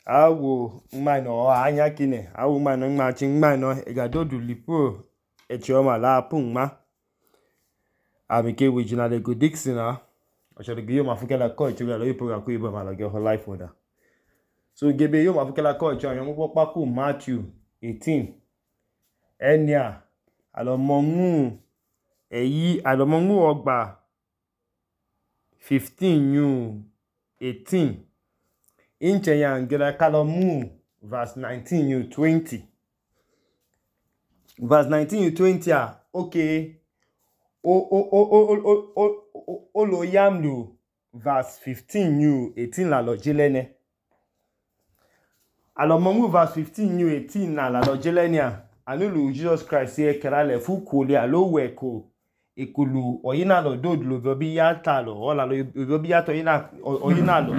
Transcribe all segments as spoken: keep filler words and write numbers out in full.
awo mmano anya kine awo mmano ngma chi mmano egadodu lipo echioma la pungma amike wijina le go Dixon a oshoro yo mafukela ko echiga lo ipo ga ku ibo malo ge ho life order so gebe yo mafukela ko echi ayan mo pa ku Matthew eighteen enia alomongu eyi alomongu ogba fifteen yu eighteen inche yan gira kalomu verse nineteen yu twenty verse nineteen yu twenty a okay o o o o o o o lo yamlu verse fifteen yu eighteen la lo jelene alomongu verse fifteen yu eighteen na la lo jelene a anulu Jesus Christ ye kerale fu kole alo weko ikulu oyina lo dodlo bobi ya talo ola lo bobi ya to yina oyina lo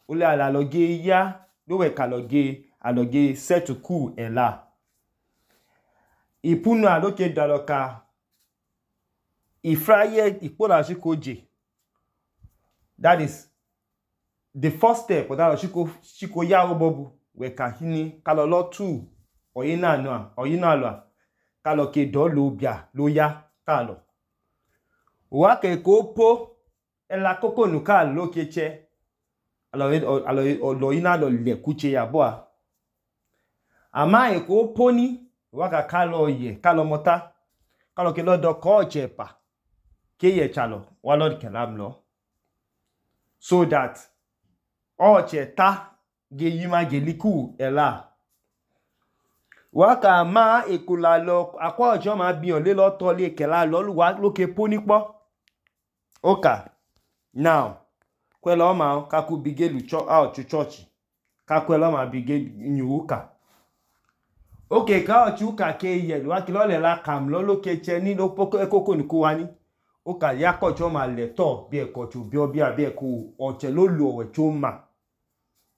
ole ala lo ge ya lo weka lo ge alo ge set ku ela ipunu aloke daloka ifraye ipola shikoje that is the first step that shiko shiko ya obobu weka hini kalo lo two oyina no oyina lo kalo ke do lo bia lo ya kalo wa ke ko po ela koko nu ka lo ke che alo alo lo ina lo le kuche ya bo a ama e ko poni wa ka kalo ye kalo mota kalo ke lo do ko chepa ke ye chalo wa lo ke lam lo so that o cheta ge yima ge liku ela wa ka ma ekula lo akwa ojo ma bi on le lo to le ke la lo wa lo ke poni po oka now kwelo ma ka ku bigelu cho out to church ka kwelo ma bige nyuka okay ka o chuka ke ye wa ki lo le la kam lo lo ke che ni lo poko ekoko ni ko wani oka ya ko cho ma le to bi e ko chu bi obi abi e ku o che lo lu owe cho ma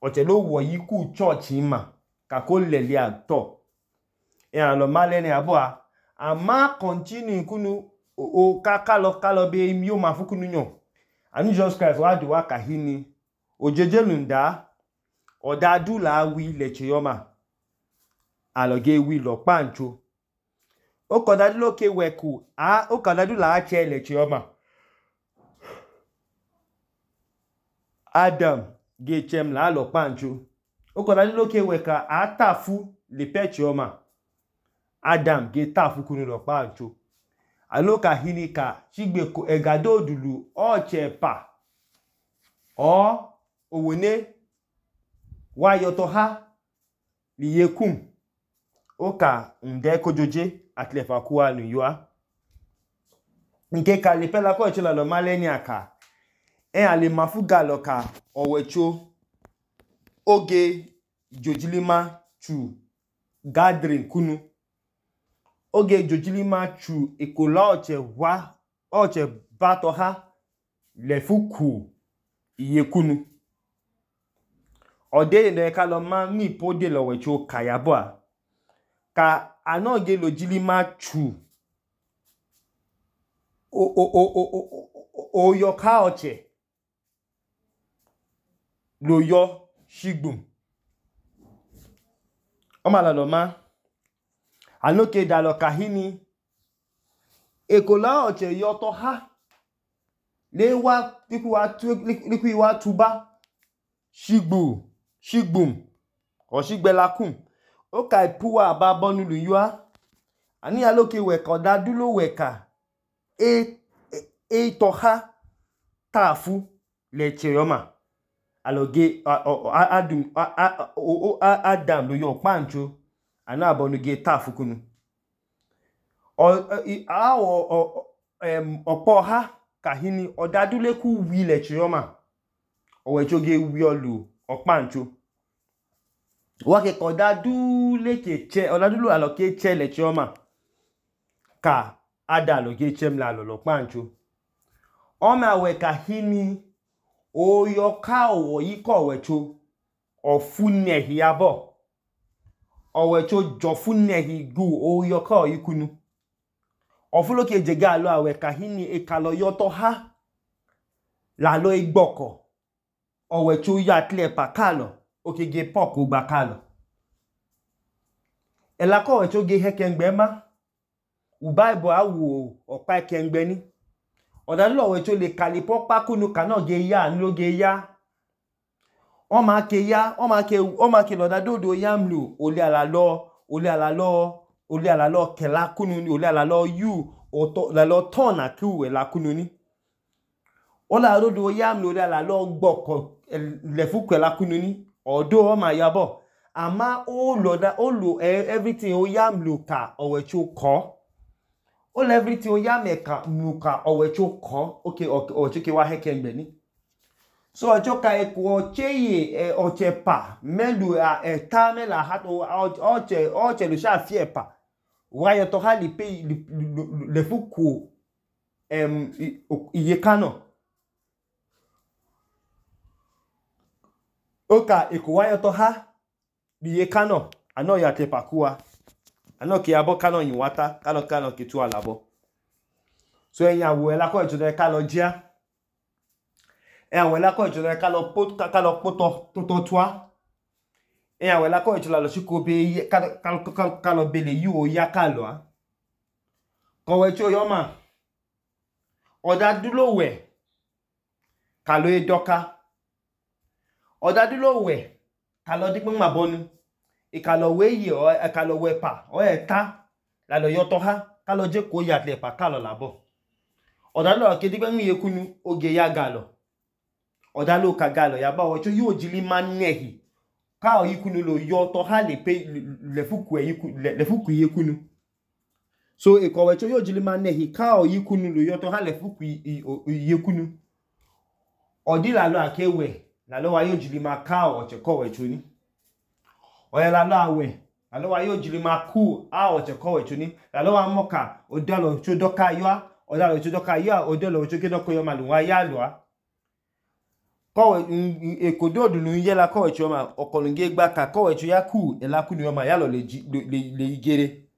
o che lo wo yi ku church ma ka ko le le ato e an lo male ni abo a ama continue kunu o ka ka lo ka lo be mi o ma fukunu nyo anu Jesus Christ wa do wa ka hini ojejelunda odadu la wi le chiyoma aloge wi lo pancho o ko dadu lo ke weku a o ka dadu la che le chiyoma Adam ge chem la lo pancho o ko dadu lo ke weka atafu le pe chiyoma Adam ge tafu kunu lo pancho aloka hinika chigbe ko egado odulu o chepa o owone wa yoto ha liyekum oka nde kojoje atlefa kuwa nu yua nke ka le pela ko chela lo maleni aka e ale mafuga lo ka owecho oge jojilima chu gathering kunu oge jojilima chu ikola oche wa oche bato ha le fuku iyekunu ode ne ka lo ma mi pode lo wecho kayabo a ka anoge lo jilima chu o o o o o o yo ka oche lo yo shigbum o ma la lo ma anoke dalo kahini ekola oche yoto ha le wa liku wa tu liku wa tuba shigbu shigbum o shigbelakum o ka ipuwa babonu lu yua ani aloke weka dadu lo weka e e to ha tafu le cheyoma aloge adum Adam lo yo pancho ana abonu ge tafu kunu o awo em opo ha kahini odadule ku wi le chiyoma owecho ge wi olu opancho wa ke ko dadule ke che odadulu aloke che le chiyoma ka ada lo ge chem la lo pancho o ma we kahini o yo ka owo yi ko wecho ofune hiabo owecho jofune higu o yo ka oyikunu ofulo ke jega lo awe kahini e kalo yoto ha la lo igboko owecho ya tlepa kalo okege pork ogba kalo ela ko wecho ge hekengbe ma u bible awu okpa ekengbe ni odalo wecho le kalipo pakunu kana ge ya nlo ge ya o ma ke ya o ma ke o ma ke loda dodo ya mlu oli ala lo oli ala lo oli ala lo kela kunu ni oli ala lo yu oto la lo ton aku ela kunu ni ola dodo ya mlu oli ala lo gboko le fuku ela kunu ni odo o ma ya bo ama o lo da o lo everything o ya mlu ka owecho ko o lo everything o ya me ka mlu ka owecho ko okay owecho ke wa hekengbe ni so ocho ka eko cheye ochepa melu eta mela hat oche oche lu sha fi epa wa yo to ha li pe le fuku em iye kano oka eko wa yo to ha iye kano ano ya te pakua ano ke abo kano yin wata kano kano ke tu alabo so eyan wo ela ko ejo ka lo jia eyan wo ela ko ejo ka lo pot ka lo poto to to twa eyan wo ela ko ejo la lo siko be ka ka ka lo be le yu o ya ka lo a ko we cho yo ma oda dulo we ka lo e doka oda dulo we ka lo di pe ma bonu e ka lo we yi o e ka lo we pa o e ta la lo yo to ha ka lo je ko ya le pa ka lo labo oda lo ke di pe mi yekunu oge ya ga lo oda lo ka ga lo ya ba o cho yo jili ma nehi ka o yikunu lo yo to ha le pe le fuku e yiku le fuku yekunu so e ko we cho yo jili ma nehi ka o yikunu lo yo to ha le fuku yekunu odi la lo akewe la lo wa yo jili ma ka o che ko we cho ni o ya la lo awe la lo wa yo jili ma ku a o che ko we cho ni la lo wa moka o da lo cho doka yo o da lo cho doka yo o de lo cho ke doko yo ma lu wa ya lo a ko we ekodo odunu ye la ko we cho ma okolunge gba ka ko we cho ya ku e la ku ni yo ma ya lo le le igere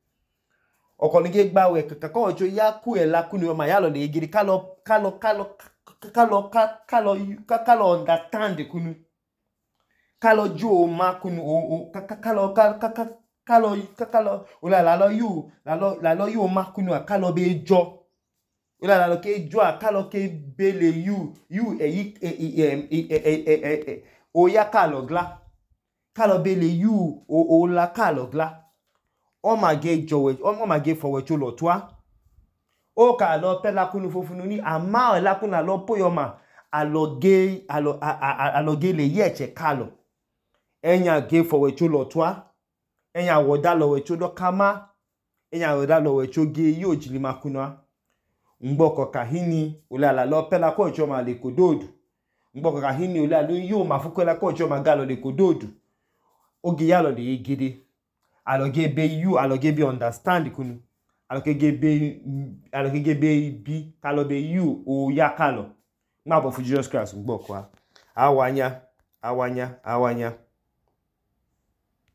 okolunge gba we ka ko we cho ya ku e la ku ni yo ma ya lo le igere ka lo ka lo ka lo ka lo ka lo ka lo understand kunu ka lo jo ma kunu o ka lo ka ka ka lo ka lo o la la lo yu la lo la lo yu ma kunu ka lo be jo o la la lo ke jo ka lo ke bele yu yu e yi o ya ka lo gla ka lo bele yu o o la ka lo gla o ma ge jo we o ma ge fowe cho lo twa o ka lo pe la kunu fofunu ni ama la kunu lo po yo ma aloge alo aloge le ye che ka lo enya ge fowe cho lo twa enya wo da lo we cho do kama enya wo da lo we cho ge yo jili makuna ngboko ka hini ola la lo pe la ko cho ma le kododu ngboko ka hini ola lo yo ma fuko la ko cho ma ga lo le kododu oge ya lo le gede aloge be you aloge be understand kunu aloge be aloge be bi ka lo be you o ya ka lo ma bo fu Jesus Christ ngboko a awanya awanya awanya